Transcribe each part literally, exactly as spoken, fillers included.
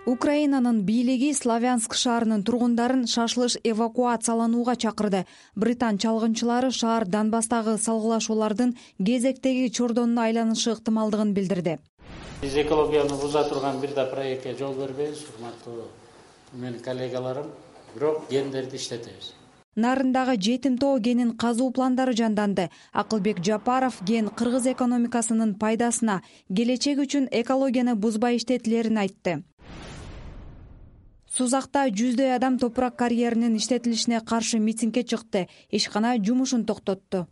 Украинанын бийлиги Славянск шаарынын тургундарын шашылыш эвакуацияланууга чакырды. Британ чалгынчылары шаар Донбасстагы салгылашуулардын кезектеги чордонуна айланышы ыктымалдыгын билдирди. Биз экологияны буза турган бир да проектке жол бербейбиз, урматтуу менин коллегаларым, бирок гендерди иштетебиз. Нарындагы жетим тоо кенин казуу пландары жанданды. Акылбек Жапаров ген кыргыз экономикасынын пайдасына, келечек үчүн экологияны бузбай иштетилерин айтты. Сузакта жүздөй адам топурак карьеринин иштетилишине каршы митингге чыкты. Ишкана жумушун токтотту.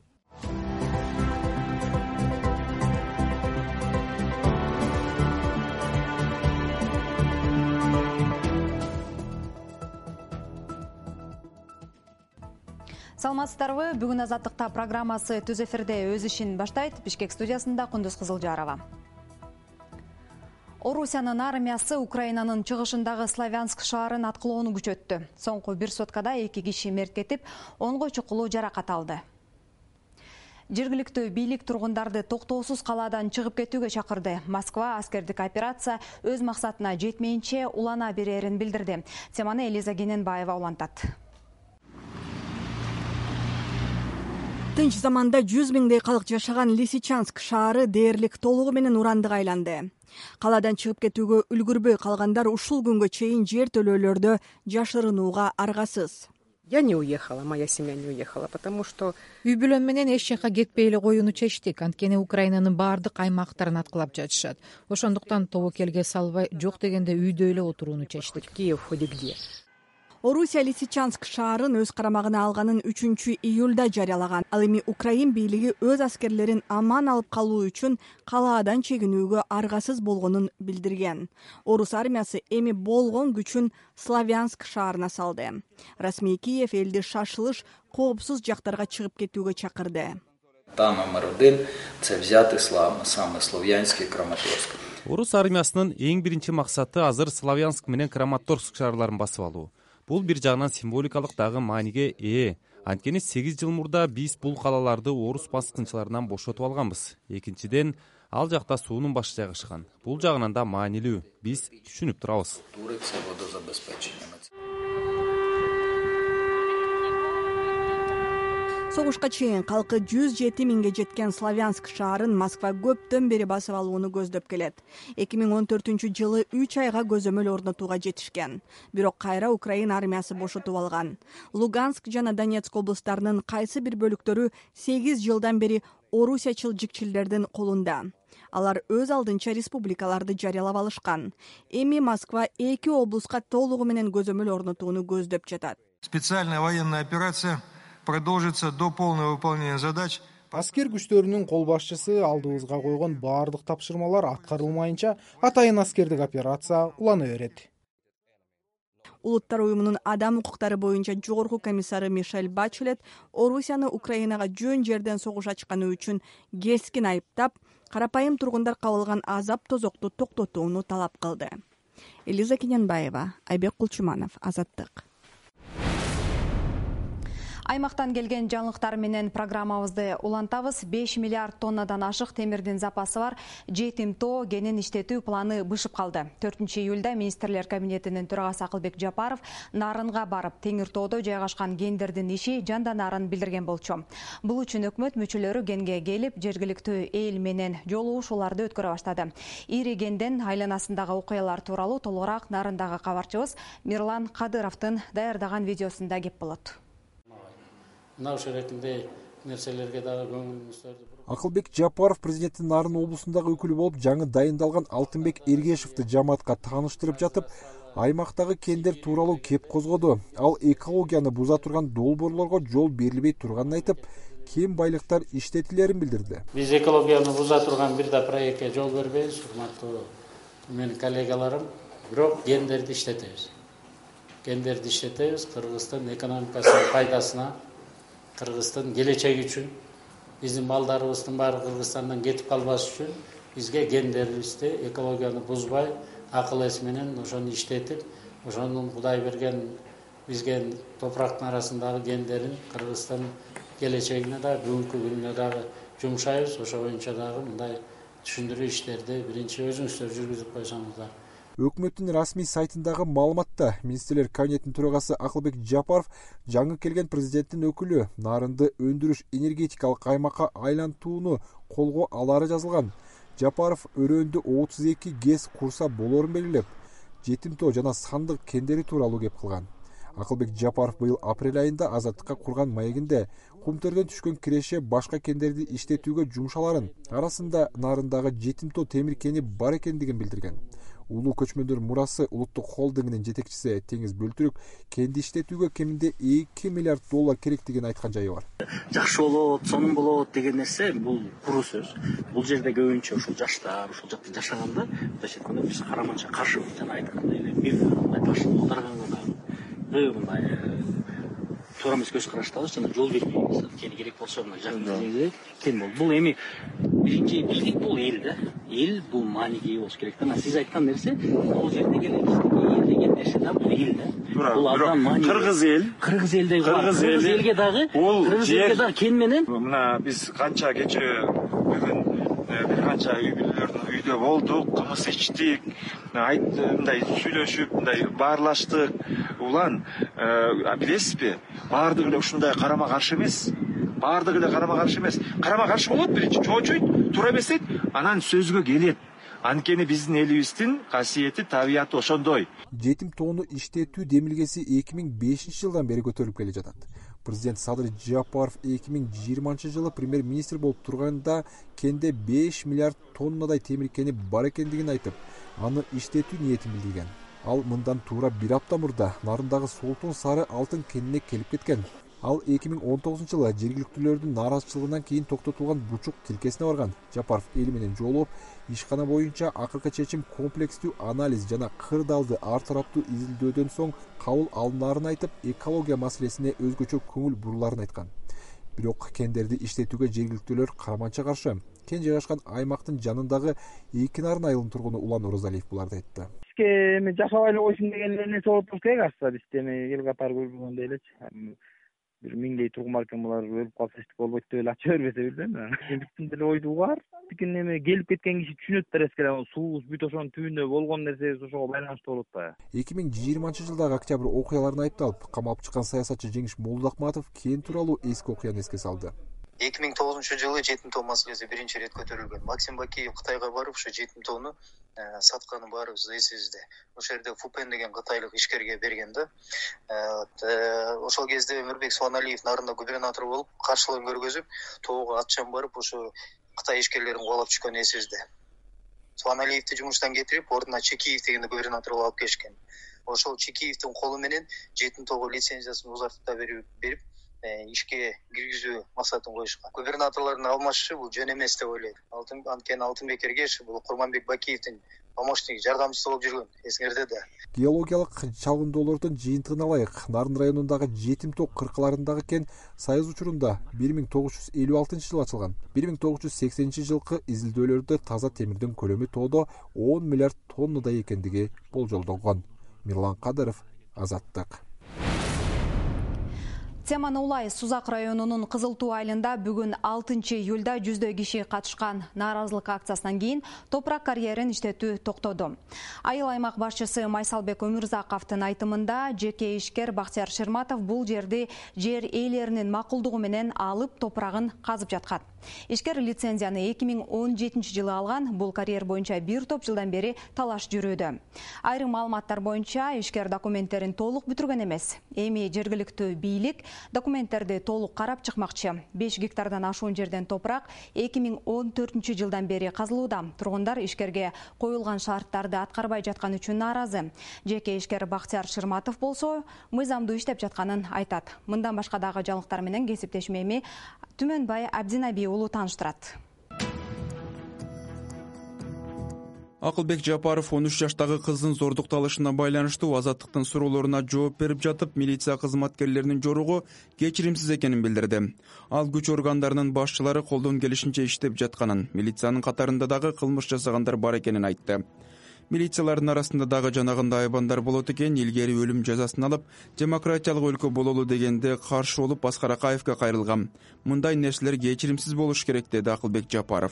Саламатсыздарбы? Бүгүн Азаттыкта программасы түз эфирде өз ишин баштайт. Бишкек студиясында Кундуз Кызылжарова. Орусиянын армиясы Украинанын чыгышындагы Славянск шаарын аткылоону күчөттү. Соңку бир суткада эки киши мерт кетип, онго чукулуу жаракат алды. Жергиликтүү бийлик тургундарды токтоосуз калаадан чыгып кетүүгө чакырды. Москва аскердик операция өз максатына жетмейинче улана берерин билдирди. Теманы Элиза Кененбаева улантат. Тынч заманда жүз миңдей калк жашаган Лисичанск шаары дээрлик толугу менен урандык айланды. Калаадан чыгып кетүүгө үлгүрбөй калгандар ушул күнгө чейин жер төлөөлөрдө жашырынууга аргасыз. Я не уехала, моя семья не уехала, потому что үй бүлөм менен эч жака кетпей эле коюуну чечтик. Анткени Украинанын баардык аймактарын аткылап жатышат. Ошондуктан тобокелге салбай, жок дегенде үйдө эле отурууну чечтик. Киев ходи где. Орусия Лисичанск шаарын өз карамагына алганын үчүнчү июлда жарыялаган. Ал эми Украин бийлиги өз аскерлерин аман алып калуу үчүн калаадан чегинүүгө аргасыз болгонун билдирген. Орус армиясы эми болгон күчүн Славянск шаарына салды. Расмий Киев элди шашылыш, коопсуз жактарга чыгып кетүүгө чакырды. Та номер один – це взяти саме Слов'янськ и Краматорск. Орус армиясынын эң биринчи максаты азыр Славянск менен Краматорск шаарларын басып алуу. Бул бир жагынан символикалык дагы мааниге ээ. Анткени сегиз жыл мурда биз бул калаларды орус баскынчыларынан бошотуп алганбыз. Экинчиден, ал жакта суунун башы жайгашкан. Бул жагынан да маанилүү. Биз түшүнүп турабыз. Согушка чейин калкы жүз жети миңге жеткен Славянск шаарын Москва көптөн бери басып алууну көздөп келет. эки миң он төртүнчү жылы үч айга көзөмөл орнотууга жетишкен. Бирок кайра Украина армиясы бошотуп алган. Луганск жана Донецк облустарынын кайсы бир бөлүктөрү сегиз жылдан бери орусиячыл жикчилдердин колунда. Алар өз алдынча республикаларды жарыялап алышкан. Эми Москва эки облуска толугу менен көзөмөл орнотууну көздөп жатат. Специальная военная операция продолжится до полного выполнения задач. Аскер күчтөрүнүн кол башчысы алдыбызга койгон баардык тапшырмалар аткарылмайынча атайын аскердик операция улана берет. Улуттар уюмунун адам укуктары боюнча жогорку комиссары Мишель Бачелет Орусияны Украинага жөн жерден согуш ачканы үчүн кескин айыптап, карапайым тургундар кабылган азап тозокту токтотууну талап кылды. Элиза Кененбаева, Айбек Кулчуманов, Азаттык. Аймактан келген жаңылыктар менен программабызды улантабыз. беш миллиард тоннадан ашык темирдин запасы бар жетим тоо кенин иштетүү планы бышып калды. төртүнчү июлда министрлер кабинетинин төрагасы Акылбек Жапаров Нарынга барып, Теңир тоодо жайгашкан кендердин иши жанданарын билдирген болчу. Бул үчүн өкмөт мүчөлөрү кенге келип, жергиликтүү эл менен жолугушууларды өткөрө баштады. Ири кенден айланасындагы окуялар тууралуу толугураак Нарындагы кабарчыбыз Мирлан Кадыровдун даярдаган видеосунда кеп болот. Акылбек Жапаров президенттин Нарын облусундагы өкүлү болуп жаңы дайындалган Алтынбек Эргешевди жамаатка тааныштырып жатып, аймактагы кендер тууралуу кеп козгоду. Ал экологияны буза турган долбоорлорго жол берилбей турганын айтып, кем байлыктар иштетилерин билдирди. Биз экологияны буза турган бир да проектке жол бербейбиз, урматтуу менин коллегаларым, бирок кендерди иштетебиз. Кендерди иштетебиз Кыргыздын экономикасынын пайдасына, Кыргыздын келечеги үчүн, биздин балдарыбыздын баары Кыргызстандан кетип калбаш үчүн бизге кендерибизди экологияны бузбай, акыл эс менен ошону иштетип, ошонун Кудай берген бизге топурактын арасындагы кендерин Кыргызстан келечегине да, бүгүнкү күнүнө дагы жумшайбыз. Ошо боюнча дагы мындай түшүндүрүү иштерди биринчи өзүңүздөр жүргүзүп койсоңуздар. Өкмөттүн расмий сайтындагы маалыматта министрлер кабинетинин төрагасы Акылбек Жапаров жаңы келген президенттин өкүлү нарынды өндүрүш энергетикалык аймакка айлантууну колго алары жазылган. Жапаров өрөөндө отуз эки ГЭС курса болоорун белгилеп, жетим тоо жана сандык кендери тууралуу кеп кылган. Акылбек Жапаров быйыл апрель айында Азаттыкка курган маегинде кумтөрдөн түшкөн киреше башка кендерди иштетүүгө жумшаларын, арасында нарындагы жетим тоо темир кени бар экендигин билдирген. Улуу көчмөндөр мурасы улуттук холдингинин жетекчиси Теңиз Бөлтүрүк кенди иштетүүгө кеминде эки миллиард доллар керектигин айткан жайы бар. Жакшы болот, сонун болот деген нерсе бул куру сөз. Бул жерде көбүнчө ушул жаштар, ушул жакта жашаганда, мындайча айтканда биз караманча каршыбыз. Жана айткандай эле бир мындай ташты колдоргонго дагы мындай туура эмес көз караштабыз, жана жол бербейбиз. Кени керек болсо мына жакын кен болду. Бул эми биринчи биздик бул эл да. Эл бул маанигей болуш керек да. Сиз айткан нерсе, бул жердеги эл деген нерсе да, бул эл да. Бул абдан маанигей. Кыргыз эл, кыргыз элдей кыргыз элге дагы, кыргыз элге дагы кен менен мына биз канча кече бүгүн бир канча үй бүлөлөрдүн үйдө болдук, кымыз ичтик, мындай сүйлөшүп, мындай баарлаштык. Улан, билесизби, баардыгы эле ушундай карама каршы эмес. Баардыгы эле карама каршы эмес. Карама каршы болот, биринчи чоочойт, туура эмесет, анан сөзгө келет. Анткени биздин элибиздин касиети, табияты ошондой. Жетим тоону иштетүү демилгеси эки миң бешинчи жылдан бери көтөрүлүп келе жатат. Президент Садыр Жапаров эки миң жыйырманчы жылы премьер-министр болуп турганда кенде беш миллиард тоннадай темир кени бар экендигин айтып, аны иштетүү ниетин билдирген. Ал мындан туура бир апта мурда нарындагы солтун сары алтын кенине келип кеткен. Ал эки миң он тогузунчу жылы жергиликтүүлөрдүн нааразычылыгынан кийин токтотулган бучук тилкесине барган. Жапаров эл менен жолугуп, ишкана боюнча акыркы чечим комплекстүү анализ жана кырдаалды ар тараптуу изилдөөдөн соң кабыл алынаарын айтып, экология маселесине өзгөчө көңүл буруларын айткан. Бирок кендерди иштетүүгө жергиликтүүлөр караманча каршы. Кен жайгашкан аймактын жанындагы эки нарын айылынын тургуну Улан Орозалиев буларды айтты. Эми жашабай эле койсун деген нерсе болуп туруш керек аста, бизде эми эл катары көрбөгөндөй элечи. Бир миңдей тургун бар экен, булар өлүп калса эчтеке болбойт деп эле ача бербесе билбейм. Биздин деле ойду бар. Тикен эми келип кеткен киши түшүнөт да эскере, суубуз бүт ошонун түбүндө болгон нерсебиз ошого байланыштуу болот да. эки миң жыйырманчы жылдагы октябрь окуяларына айыпталып, камалып чыккан саясатчы Жеңиш Молдоахматов кен тууралуу эски окуяны эске салды. эки миң тогузунчу жылы жетим тоо маселеси биринчи ирет көтөрүлгөн. Максим Бакиев Кытайга барып, ушу жетим тоону сатканы баарыбыз эсибизде. Ошол жерде Фупен деген кытайлык ишкерге берген да. Ошол кезде Өмүрбек Суаналиев нарында губернатор болуп, каршылыгын көргөзүп, тоого атчан барып, ошо Кытай ишкерлерин кубалап чыккан эсибизде. Суаналиевди жумуштан кетирип, ордуна Чекиев деген губернатор алып келишкен. Ошол Чекиевдин колу менен жетим тоого лицензиясын узартып берип, ишке киргизүү максатын коюшкан. Губернаторлордун алмашышы бул жөн эмес деп ойлойт. Анткени Алтынбек Эргешев бул Курманбек Бакиевдин помощниги, жардамчысы болуп жүргөн, эсиңерде да. Геологиялык чалгындоолордун жыйынтыгын алайык. Нарын районундагы жетим тоо кыркаларындагы кен Союз учурунда бир миң тогуз жүз элүү алтынчы жылы ачылган. бир миң тогуз жүз сексенинчи жылкы изилдөөлөрдө таза темирдин көлөмү тоодо он миллиард тоннадай экендиги болжолдонгон. Мирлан Кадыров, Азаттык. Теманы улай Сузак районунун Кызыл Туу айылында бүгүн алтынчы июлда жүздөй киши катышкан нааразылык акциясынан кийин топурак карьерин иштетүү токтоду. Айыл аймак башчысы Майсалбек Өмүрзаковдун айтымында, жеке ишкер Бактияр Шырматов бул жерди жер ээлеринин макулдугу менен алып топурагын казып жаткан. Ишкер лицензияны эки миң он жетинчи жылы алган. Бул карьер боюнча бир топ жылдан бери талаш жүрүүдө. Айрым маалыматтар боюнча ишкер документтерин толук бүтүргөн эмес. Эми жергиликтүү бийлик документтерди толук карап чыкмакчы. беш гектардан ашуун жерден топурак эки миң он төртүнчү жылдан бери казылууда. Тургундар ишкерге коюлган шарттарды аткарбай жаткан үчүн нааразы. Жеке ишкер Бактияр Шырматов болсо мыйзамдуу иштеп жатканын айтат. Мындан башка дагы жаңылыктар менен кесиптешим эми Түмөнбай Абдинаби уулу тааныштырат. Акылбек Жапаров он үч жаштагы кыздын зордукталышына байланыштуу Азаттыктын суроолоруна жооп берип жатып, милиция кызматкерлеринин жоругу кечиримсиз экенин билдирди. Ал күч органдарынын башчылары колдон келишинче иштеп жатканын, милициянын катарында дагы кылмыш жасагандар бар экенин айтты. Милициялардын арасында дагы жанагындай айбандар болот экен, илгери өлүм жазасын алып, демократиялык өлкө бололу дегенде каршы болуп Аскар Акаевге кайрылган. Мындай нерселер кечиримсиз болуш керек, деди Акылбек Жапаров.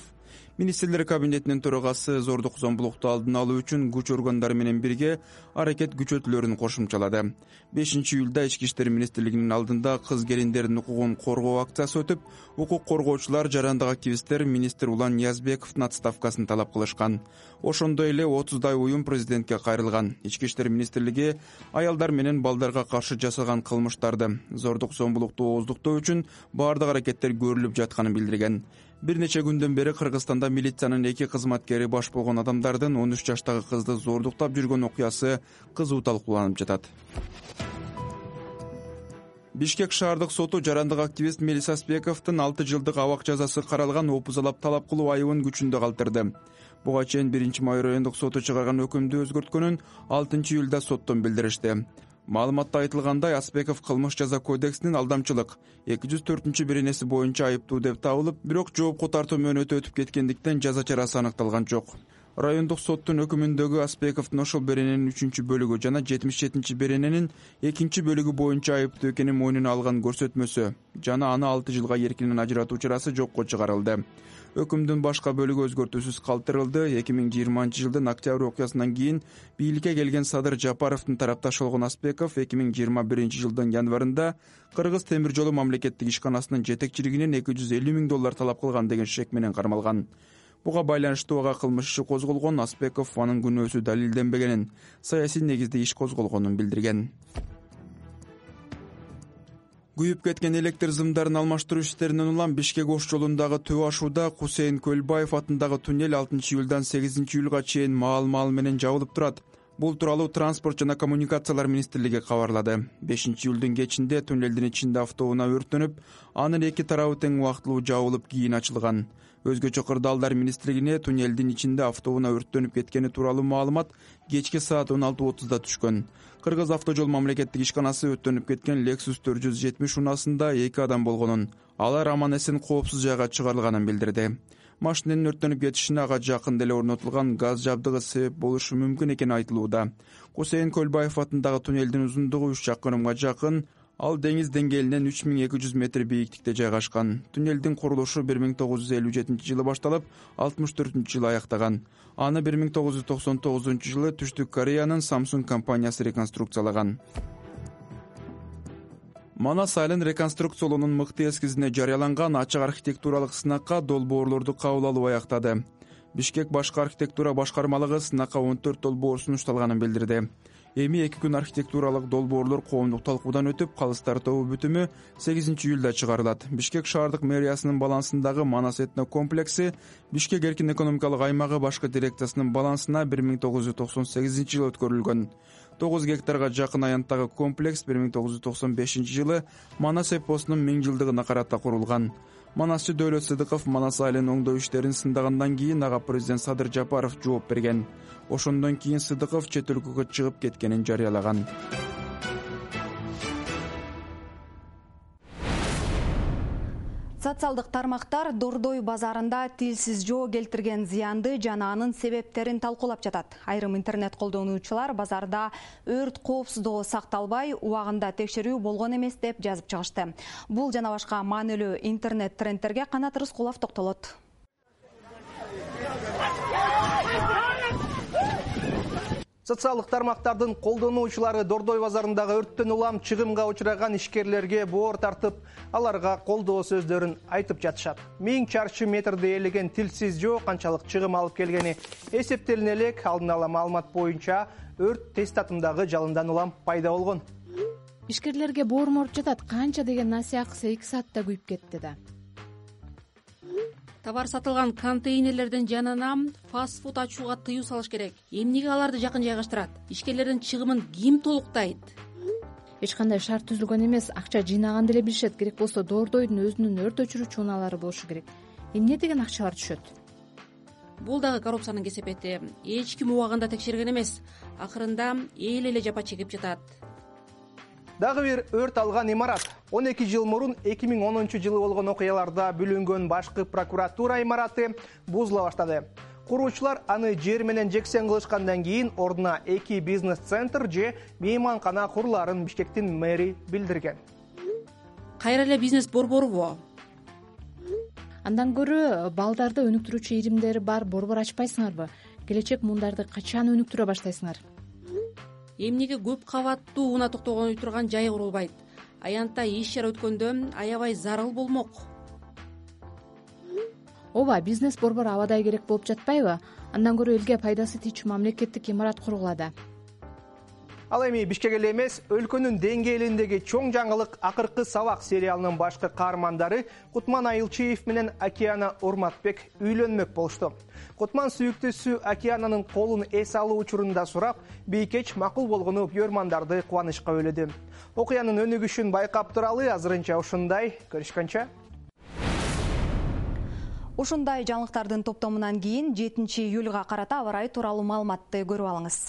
Министрлер кабинетинин төрагасы зордук зомбулукту алдын алуу үчүн күч органдары менен бирге аракет күчөтүүлөрүн кошумчалады. бешинчи июлда Ички иштер министрлигинин алдында кыз келиндердин укугун коргоо акциясы өтүп, укук коргоочулар, жарандык активисттер министр Улан Ниязбековдун отставкасын талап кылышкан. Ошондой эле отуздай уюм президентке кайрылган. Ички иштер министрлиги аялдар менен балдарга каршы жасалган кылмыштарды, зордук зомбулукту ооздуктоо үчүн баардык аракеттер көрүлүп жатканын билдирген. Бир нече күндөн бери Кыргызстанда милициянын эки кызматкери баш болгон адамдардын он үч жаштагы кызды зордуктап жүргөн окуясы кызуу талкууланып жатат. Бишкек шаардык соту жарандык активист Мелис Аспековдун алты жылдык абак жазасы каралган опузалап талап кылуу айыбын күчүндө калтырды. Буга чейин биринчи май райондук соту чыгарган өкүмдү өзгөрткөнүн алтынчы июлда соттон билдиришти. Маалыматта айтылгандай, Аспеков кылмыш жаза кодексинин алдамчылык эки жүз төртүнчү беренеси боюнча айыптуу деп табылып, бирок жоопко тартуу мөөнөтү өтүп кеткендиктен жаза чарасы аныкталган жок. Райондук соттун өкүмүндөгү Аспековдун ошол берененин үчүнчү бөлүгү жана жетимиш жетинчи берененин экинчи бөлүгү боюнча айыптуу экенин мойнуна алган көрсөтмөсү жана аны алты жылга эркинен ажыратуу чарасы жокко чыгарылды. Өкүмдүн башка бөлүгү өзгөртүүсүз калтырылды. эки миң жыйырманчы жылдын октябрь окуясынан кийин бийликке келген Садыр Жапаровдун тарапташы болгон Аспеков эки миң жыйырма биринчи жылдын январында Кыргыз темир жолу мамлекеттик ишканасынын жетекчилигинен эки жүз элүү миң доллар талап кылган деген шек менен кармалган. Буга байланыштуу ага кылмыш иши козголгон. Аспеков анын күнөөсү далилденбегенин, саясий негизде иш козголгонун билдирген. Күйүп кеткен электр зымдарын алмаштыруу иштеринен улам Бишкек Ош жолундагы төбө ашууда Кусейин Көлбаев атындагы туннель алтынчы июлдан сегизинчи июлга чейин маал-маал менен жабылып турат. Бул тууралуу Транспорт жана коммуникациялар министрлиги кабарлады. бешинчи июлдун кечинде туннелдин ичинде автоунаа өрттөнүп, анын эки тарабы тең убактылуу жабылып, кийин ачылган. Өзгөчө Кырдаалдар министрлигине туннелдин ичинде автоунаа өрттөнүп кеткени тууралуу маалымат кечки саат он алты отузда түшкөн. Кыргыз автожол мамлекеттик ишканасы өрттөнүп кеткен Lexus төрт жүз жетимиш унаасында эки адам болгонун, алар аман-эсен коопсуз жайга чыгарылганын билдирди. Машинанын өрттөнүп кетишине ага жакын деле орнотулган газ жабдыгы себеп болушу мүмкүн экени айтылууда. Кусейин Көлбаев атындагы туннелдин узундугу үч чакырымга жакын, ал деңиз деңгээлинен үч миң эки жүз метр бийиктикте жайгашкан. Туннелдин курулушу бир миң тогуз жүз элүү жетинчи жылы башталып, алтымыш төртүнчү жылы аяктаган. Аны бир миң тогуз жүз токсон тогузунчу жылы Түштүк Кореянын Samsung компаниясы реконструкциялаган. Манас айылын реконструкциялоонун мыкты эскизине жарыяланган ачык архитектуралык сынакка долбоорлорду кабыл алуу аяктады. Бишкек башкы архитектура башкармалыгы сынакка он төрт долбоор сунушталганын билдирди. Эми эки күн архитектуралык долбоорлор коомдук талкуудан өтүп, калыстар тобу бүтүмү сегизинчи июлда чыгарылат. Бишкек шаардык мэриясынын балансындагы Манас этно комплекси Бишкек эркин экономикалык аймагы башкы дирекциясынын балансына бир миң тогуз жүз токсон сегизинчи жылы өткөрүлгөн. тогуз гектарга жакын аянттагы комплекс бир миң тогуз жүз токсон бешинчи жылы Манас эпосунун миң жылдыгына карата курулган. Манасчы Дөөлөт Сыдыков Манас айылын оңдоо иштерин сындагандан кийин ага президент Садыр Жапаров жооп берген. Ошондон кийин Сыдыков чет өлкөгө чыгып кеткенин жарыялаган. Социалдык тармактар Дордой базарында тилсиз жоо келтирген зыянды жана анын себептерин талкуулап жатат. Айрым интернет колдонуучулар базарда өрт коопсуздугу сакталбай, убагында текшерүү болгон эмес деп жазып чыгышты. Бул жана башка маанилүү интернет трендтерге Канат Рыскулов токтолот. Социалдык тармактардын колдонуучулары Дордой базарындагы өрттөн улам чыгымга учураган ишкерлерге боор тартып, аларга колдоо сөздөрүн айтып жатышат. Миң чарчы метрди ээлеген тилсиз жоо канчалык чыгым алып келгени эсептелине элек. Алдын ала маалымат боюнча өрт тест татымдагы жалындан улам пайда болгон. Ишкерлерге боор моруп жатат. Канча деген насыяксы эки саатта күйүп кетти да. Товар сатылган контейнерлердин жанына фастфуд ачууга тыюу салыш керек. Эмнеге аларды жакын жайгаштырат? Ишкерлердин чыгымын ким толуктайт? Эч кандай шарт түзүлгөн эмес. Акча жыйнаган деле билишет. Керек болсо Дордойдун өзүнүн өрт өчүрүүчү унаалары болушу керек. Эмне деген акчалар түшөт? Бул дагы коррупциянын кесепети. Эч ким убагында текшерген эмес. Акырында эл эле жапа чегип жатат. Дагы бир өрт алган имарат. он эки жыл мурун эки миң онунчу жылы болгон окуяларда бүлүнгөн башкы прокуратура имараты бузула баштады. Куруучулар аны жер менен жексен кылышкандан кийин ордуна эки бизнес-центр же мейманкана курулаарын Бишкектин мэри билдирген. Кайра эле бизнес борборубу? Андан көрө балдарды өнүктүрүүчү иримдери бар борбор ачпайсыңарбы? Келечек мундарды качан өнүктүрө баштайсыңар? Эмнеге көп кабаттуу унаа токтогон үй турган жай курулбайт? Аянтта иш чара өткөндө аябай зарыл болмок. Ооба, бизнес борбор абадай керек болуп жатпайбы? Андан көрө элге пайдасы тийчү мамлекеттик имарат кургула да. Ал эми Бишкек эле эмес, өлкөнүн деңгээлиндеги чоң жаңылык акыркы сабак сериалынын башкы каармандары Кутман Айылчиев менен Океана Урматбек үйлөнмөк болушту. Кутман сүйүктүүсү Океананын колун эс алуу учурунда сурап, бийкеч макул болгону бүйөрмандарды кубанычка бөлөдү. Окуянын өнүгүшүн байкап туралы азырынча ушундай. Көрүшкөнчө. Ушундай жаңылыктардын топтомунан кийин жетинчи июлга карата аба ырайы тууралуу маалыматты көрүп алыңыз.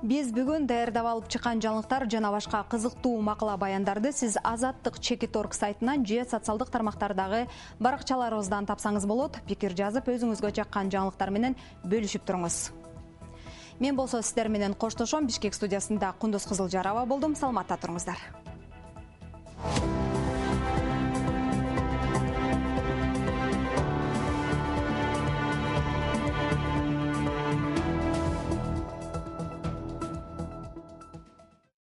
Биз бүгүн даярдап алып чыккан жаңылыктар жана башка кызыктуу макала баяндарды сиз Азаттык чекит точка орг сайтынан же социалдык тармактардагы баракчаларыбыздан тапсаңыз болот. Пикир жазып, өзүңүзгө жаккан жаңылыктар менен бөлүшүп туруңуз. Мен болсо сиздер менен коштошом. Бишкек студиясында Кундуз Кызылжарова болдум. Саламатта туруңуздар.